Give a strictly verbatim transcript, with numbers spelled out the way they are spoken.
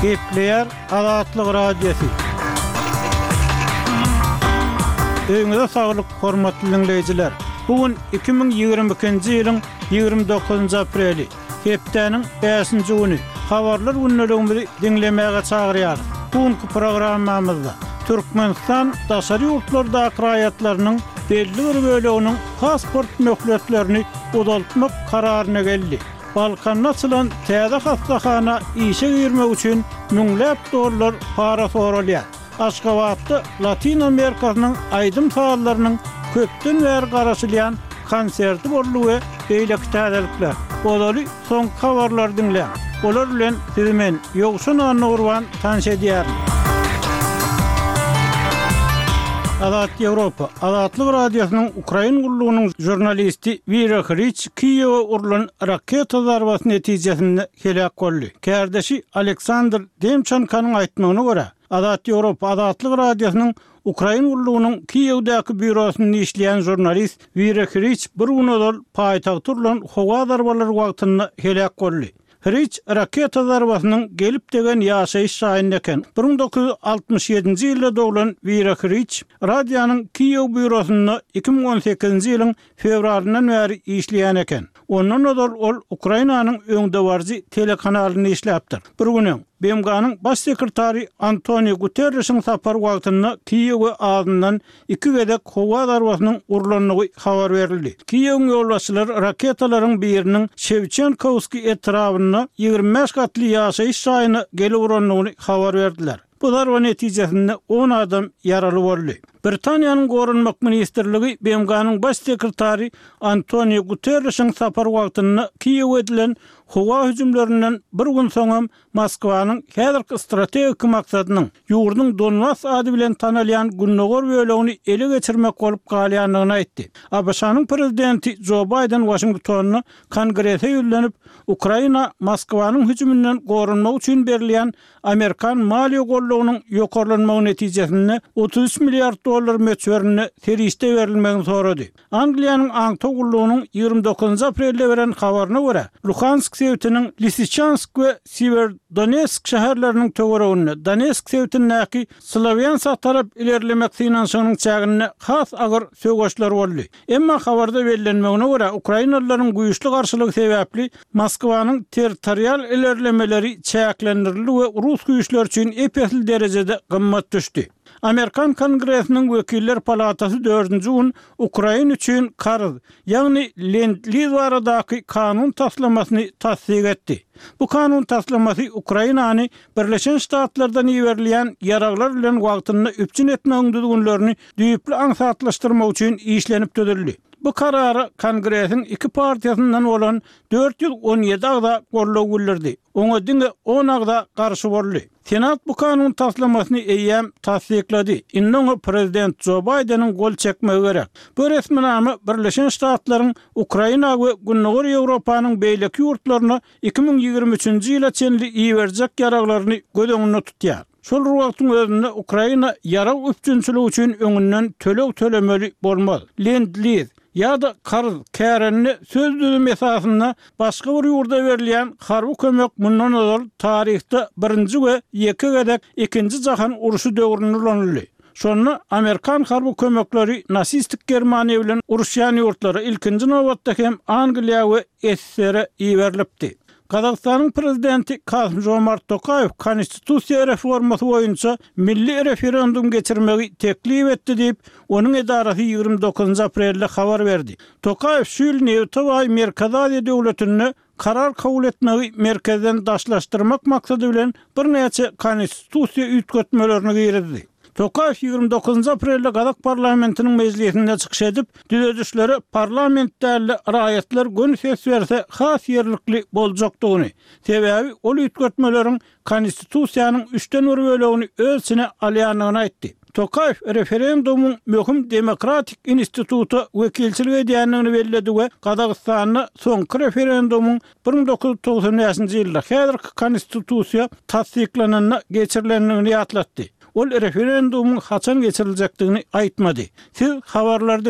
Gepleýär Azatlyk Radiosy. Öýüňize saglyk, hormatly diňleýjiler! Bu gün iki müň ýigrimi ikinji ýylyň ýigrimi dokuzynjy apreli, hepdäniň bäşinji güni. Habarlar gündeligimizi diňlemäge çagyrýarys. Bu günki programmamyzda Türkmenistan daşary ýurtlardaky raýatlarynyň belli bir böleginiň pasport möhletlerini uzaltmak kararyna geldi. Balkanda açylan täze hassahana işe girmek üçin müňläp dollar para soralýar. Aşgabatda Latyn Amerikasynyň aýdym-sazlarynyň köpden bäri garaşylýan konserti boldy we beýleki täzelikler. Ozaly soňky habarlary diňläň. Olar bilen sizi men, Ýowşan Annagurban tanyş edýärin. Azat Ýewropa, Azatlyk Radiosynyň Ukrain gullugynyň žurnalisti Wira Hriç Kiýewe urlan raketa zarbasy netijesinde heläk boldy. Kärdeşi Aleksandr Demçenkonyň aýtmagyna görä, Azat Ýewropa, Azatlyk Radiosynyň Ukrain gullugynyň Kiýewdäki býurosynda işleýän žurnalist Wira Hriç bir gün ozal paýtagta urlan howa zarbalary wagtynda heläk boldy. Hriç raketa zarbasynyň gelip degen ýaşaýyş jaýynda eken. Bir müň dokuz ýüz altmyş ýedinji ýylda doglan Wira Hriç radionyň Kiýew býurosynda iki müň on sekizinji ýylyň fewralyndan bäri işleýän eken. Ondan ozal ol Ukrainanyň öňdebaryjy telekanalynda işläpdir. Bir gün öň, B M G-nyň baş sekretary Antonio Guterrişiň sapary wagtynda Kiýewe azyndan iki gezek howa zarbasynyň urlandygy habar berildi. Kiýewiň ýolbaşçylary raketalaryň biriniň Şewçenkowskiý etrabynda ýigrimi bäş gatly ýaşaýyş jaýyna gelip urandygyny habar berdiler. Bu zarba netijesinde on adam ýaraly boldy. Britaniýanyň Goranmak ministrligi B M G-nyň baş sekretary Antonio Guterrişiň sapary wagtynda Kiýewe edilen howa hüjümlerinden bir gün soňam Moskwanyň häzirki strategik maksadynyň ýurduň Donbas ady bilen tanalýan gündogar bölegini ele geçirmek bolup galýandygyny aýtdy. A B Ş-nyň prezidenti Jo Baýden Waşingtonda Kongrese ýüzlenip, Ukraina Moskwanyň hüjüminden goranmak üçin berilýän Amerikan maliýe goldawynyň ýokarlanmagy netijesinde otuz üç milliard dollar möçberinde serişde berilmegini sorady. Angliýanyň aňtaw gullugynyň ýigrimi dokuzynjy aprelde beren habaryna görä, Luhansk sebitiniň Lisiçansk we Siewerdonetsk şäherleriniň töwereginde Donetsk sebitindäki Slawýansk tarap ilerlemek synanyşygynyň çäginde has agyr söweşler boldy. Emma habarda bellenmegine görä, ukrainalylaryň güýçli garşylygy sebäpli Moskwanyň territorial ilerlemeleri çäklendirildi we rus güýçleri üçin ep-esli derejede gymmat düşdi. Amerikan Kongresiniň Wekiller palatasy dördünji gün Ukraina üçin karz, ýagny Lend-Liz baradaky kanun taslamasyny tassyk etdi. Bu kanun taslamasy Ukrainany Birleşen Ştatlardan iberilýän ýaraglar bilen wagtynda üpjün etmegiň düzgünlerini düýpli aňsatlaşdyrmak üçin işlenip düzüldi. Bu karara Kongresiň iki partiýasyndan bolan dört ýüz on ýedi agza goldaw bildirdi. Oňa diňe on agza garşy boldy. Senat bu kanun taslamasyny eýýäm tassyklady. Indi oňa prezident Jo Baýdeniň gol çekmegi gerek. Bu resminama Birleşen Ştatlaryň Ukraina we Gündogar Ýewropanyň beýleki ýurtlaryna iki müň ýigrimi üçünji ýyla çenli iberjek ýaraglaryny göz öňünde tutýar. Şol bir wagtyň özünde Ukraina ýarag üpjünçiligi üçin öňünden töleg tölemeli bolmaz. Lend-liz ýa-da karz kärende söz düzümi esasynda başga bir ýurda berilýän harby kömek mundan ozal taryhda birinji we ýeke gezek ikinji jahan urşy döwründe ulanyldy. Şonda amerikan harby kömekleri nasistik Germaniýa bilen uruşýan ýurtlara, ilkinji nobatda hem Angliýa we S S S R-e iberilipdi. Gazagystanyň prezidenti Kasym-Žomart Tokaýew konstitusiýa reformasy boýunça milli referendum geçirmegi teklip etdi diýip, onuň edarasy ýigrimi dokuzynjy aprelde habar berdi. Tokaýew şu ýyl nebite baý Merkezi Aziýa döwletinde karar kabul etmegi merkezden daşlaşdyrmak maksady bilen birnäçe konstitusiýa üýtgetmelerini girizdi. Tokaýew ýigrimi dokuzynjy aprelde Gazak parlamentiniň mejlisinde çykyş edip, düzedişlere parlament däl-de raýatlar göni ses berse has ýerlikli boljakdygyny, sebäbi ol üýtgetmeleriň konstitusiýanyň üçden bir bölegini öz içine alýandygyny aýtdy. Tokaýew referendumyň möhüm demokratik instituta wekilçilik edýändigini belledi we Gazagystanda soňky referendumyň bir müň dokuz ýüz togsan bäşinji ýylda häzirki konstitusiýa tassyklananda geçirilendigini ýatlatdy. Ol referendumyň haçan geçiriljekdigini aýtmady. Siz habarlary